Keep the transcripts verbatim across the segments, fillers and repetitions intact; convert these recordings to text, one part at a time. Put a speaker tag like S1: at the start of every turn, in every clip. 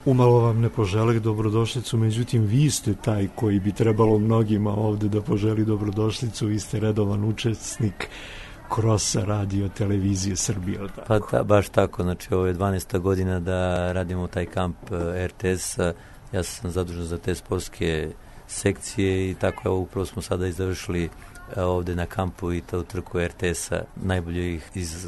S1: Umalo vam ne poželeh dobrodošlicu, međutim vi ste taj koji bi trebalo mnogima ovde da poželi dobrodošlicu, vi ste redovan učesnik Krosa radio televizije Srbije.
S2: Pa ta, baš tako, znači ovo je dvanaesta godina da radimo taj kamp er te es-a, ja sam zadužen za te sportske sekcije i tako evo upravo smo sada i završili ovde na kampu i to trku er te es-a najboljih iz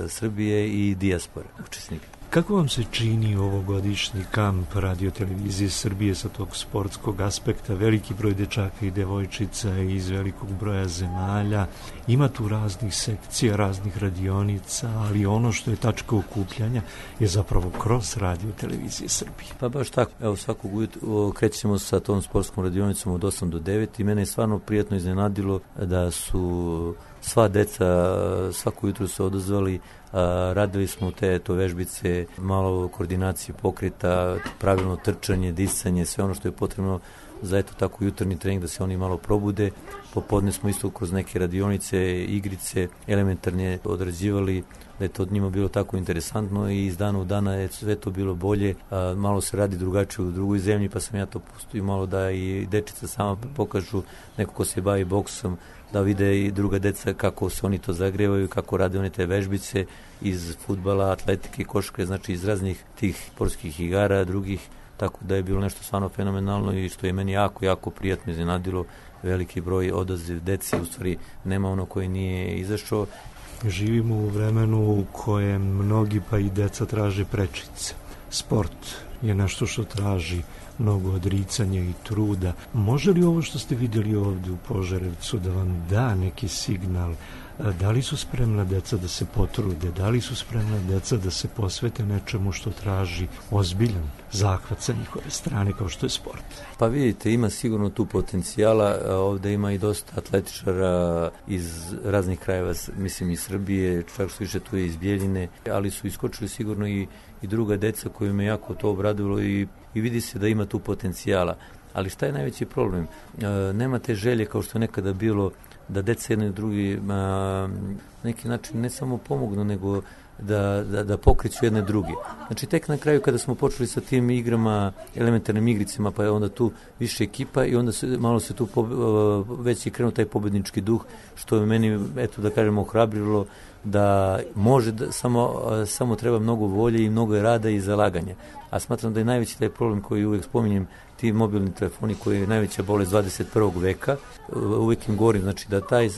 S2: Srbije i dijaspora učesnika.
S1: Kako vam se čini ovogodišnji kamp radio televizije Srbije sa tog sportskog aspekta? Veliki broj dečaka i devojčica iz velikog broja zemalja. Ima tu raznih sekcija, raznih radionica, ali ono što je tačka okupljanja je zapravo kroz radio televizije Srbije.
S2: Pa baš tako. Evo svakog ujutru krećemo sa tom sportskom radionicom od osam do devet i mene je stvarno prijatno iznenadilo da su sva deca svako jutro se odazvali. A, radili smo te to vežbice, malo koordinacije pokreta, pravilno trčanje, disanje, sve ono što je potrebno za eto tako jutarnji trening da se oni malo probude. Popodne smo isto kroz neke radionice, igrice, elementarne odrađivali, da je to od njima bilo tako interesantno i iz dana u dana je sve to bilo bolje. A, malo se radi drugačije u drugoj zemlji, pa sam ja to pustio malo da i dečica sama pokažu, neko ko se bavi boksom, da vide i druga deca kako se oni to zagrevaju, kako rade one te vežbice iz fudbala, atletike, košarke, znači iz raznih tih sportskih igara, drugih, tako da je bilo nešto stvarno fenomenalno i što je meni jako, jako prijatno iznenadilo, veliki broj odaziv deci, u stvari nema ono koji nije izašao.
S1: Živimo u vremenu u kojem mnogi pa i deca traže prečice. Sport je nešto što traži mnogo odricanja i truda. Može li ovo što ste vidjeli ovdje u Požarevcu da vam da neki signal? Da li su spremna deca da se potrude? Da li su spremna deca da se posvete nečemu što traži ozbiljan zahvat sa njihove strane kao što je sport?
S2: Pa vidite, ima sigurno tu potencijala. Ovde ima i dosta atletičara iz raznih krajeva, mislim iz Srbije, čak što više tu je iz Bijeljine, ali su iskočili sigurno i, i druga deca koju me jako to obradilo i, i vidi se da ima tu potencijala. Ali šta je najveći problem? E, nema te želje kao što je nekada bilo da deca jedni i drugi na neki način ne samo pomognu, nego da, da, da pokreću jedne druge. Znači tek na kraju kada smo počeli sa tim igrama, elementarnim igricama, pa je onda tu više ekipa i onda se, malo se tu po, već je krenuo taj pobednički duh, što je meni, eto da kažemo, ohrabrilo da može, da, samo, samo treba mnogo volje i mnogo rada i zalaganja. A smatram da je najveći taj problem koji uvijek spominjem, ti mobilni telefoni koji je najveća bolest dvadeset prvog veka, uvijek im govorim, znači da taj,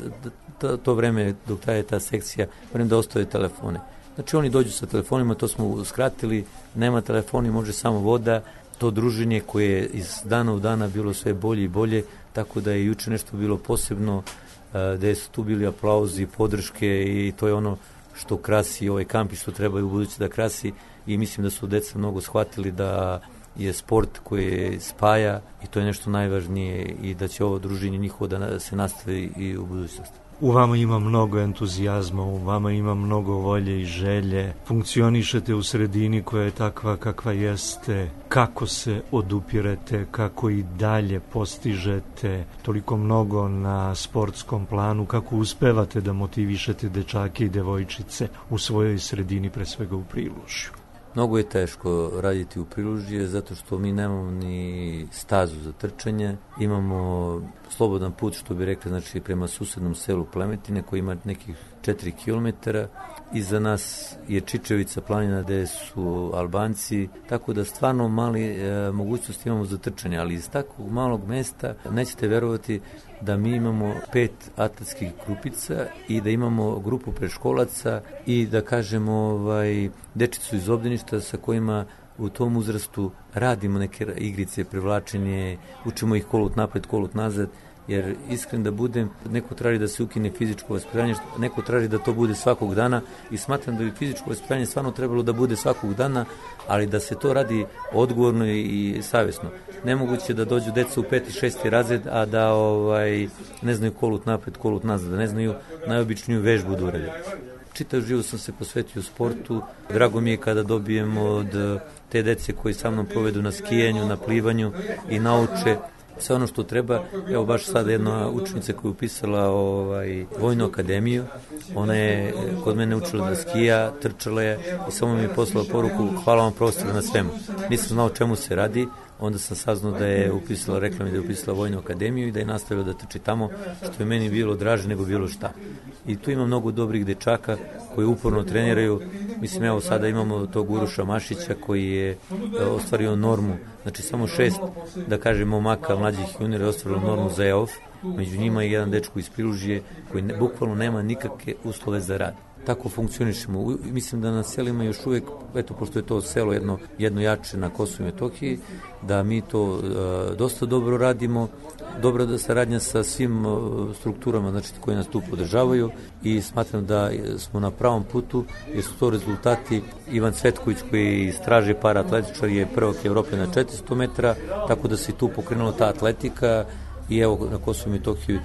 S2: da, to vreme dok traje ta sekcija, vrem da ostave telefone. Znači oni dođu sa telefonima, to smo uskratili, nema telefoni, može samo voda, to druženje koje je iz dana u dana bilo sve bolje i bolje, tako da je juče nešto bilo posebno, gde su tu bili aplauzi, podrške i to je ono što krasi ovaj kamp i što treba u budući da krasi i mislim da su deca mnogo shvatili da je sport koji spaja i to je nešto najvažnije i da će ovo druženje njihovo da se nastavi i u budućnosti.
S1: U vama ima mnogo entuzijazma, u vama ima mnogo volje i želje. Funkcionišete u sredini koja je takva kakva jeste. Kako se odupirete, kako i dalje postižete toliko mnogo na sportskom planu, kako uspevate da motivišete dečake i devojčice u svojoj sredini, pre svega u Prilužju?
S2: Mnogo je teško raditi u Prilužje zato što mi nemamo ni stazu za trčanje, imamo slobodan put, što bi rekli, znači prema susednom selu Plemetine koji ima nekih četiri kilometara. Iza nas je Čičevica planina gde su Albanci, tako da stvarno mali e, mogućnosti imamo za trčanje, ali iz takvog malog mesta nećete verovati da mi imamo pet atletskih grupica i da imamo grupu preškolaca i da kažemo ovaj, dečicu iz obdaništa sa kojima u tom uzrastu radimo neke igrice, privlačenje, učimo ih kolut napred, kolut nazad, jer iskren da budem, neko traži da se ukine fizičko vaspitanje, neko traži da to bude svakog dana i smatram da bi fizičko vaspitanje stvarno trebalo da bude svakog dana, ali da se to radi odgovorno i savjesno. Nemoguće da dođu deca u peti, šesti razred, a da ovaj, ne znaju kolut napred, kolut nazad, da ne znaju najobičniju vežbu da urade. Čitav život sam se posvetio sportu. Drago mi je kada dobijemo od te dece koji sa mnom provedu na skijanju, na plivanju i nauče sve ono što treba. Evo baš sada jedna učenica koja je upisala ovaj, Vojnu akademiju, ona je kod mene učila da skija, trčala je i samo mi je poslala poruku: hvala vam profesor na svemu. Nisam znao čemu se radi, onda sam saznao da je upisala, rekla mi da je upisala Vojnu akademiju i da je nastavila da trči tamo, što je meni bilo draže nego bilo šta. I tu ima mnogo dobrih dečaka koji uporno treniraju. Mislim, evo sada imamo tog Uroša Mašića koji je ostvario normu, znači samo šest, da kažem, momaka mlađih juniora je ostvarilo normu za E O F, među njima je jedan dečko iz Prilužije koji ne, bukvalno nema nikakve uslove za rad. Tako funkcionišemo. Mislim da na selima još uvijek, eto, pošto je to selo jedno, jedno jače na Kosovu i Metohiji, da mi to uh, dosta dobro radimo, dobra da saradnja sa svim uh, strukturama, znači, koji nas tu podržavaju, i smatram da smo na pravom putu, jer su to rezultati. Ivan Cvetković, koji iz straže paraatletičar, je prvak Evrope na četiristo metara, tako da se tu pokrenula ta atletika. I evo, na Kosovu i Metohiji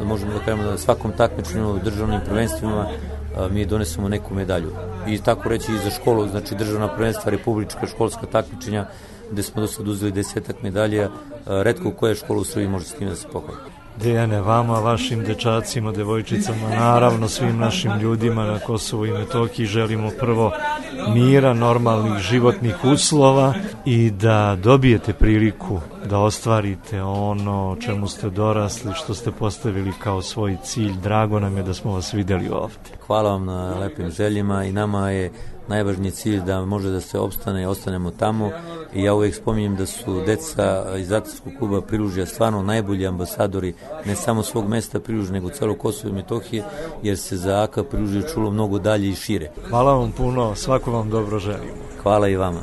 S2: možemo da kažemo da na svakom takmičenju u državnim prvenstvima a, mi donesemo neku medalju. I tako reći i za školu, znači državna prvenstva, republička školska takmičenja, gde smo do sad uzeli desetak medalja, a, retko koja škola u Srbiji može s tim da se pohvali.
S1: Dejane, vama, vašim dečacima, devojčicama, naravno svim našim ljudima na Kosovu i Metohiji želimo prvo mira, normalnih životnih uslova i da dobijete priliku da ostvarite ono čemu ste dorasli, što ste postavili kao svoj cilj. Drago nam je da smo vas videli ovde.
S2: Hvala vam na lepim željima i nama je najvažniji cilj da može da se opstane i ostanemo tamo. I ja uvijek spominjem da su deca iz atletskog kluba Prilužja stvarno najbolji ambasadori ne samo svog mesta Prilužja, nego celo Kosovo i Metohije, jer se za A K Prilužje čulo mnogo dalje i šire.
S1: Hvala vam puno, svako vam dobro želimo.
S2: Hvala i vama.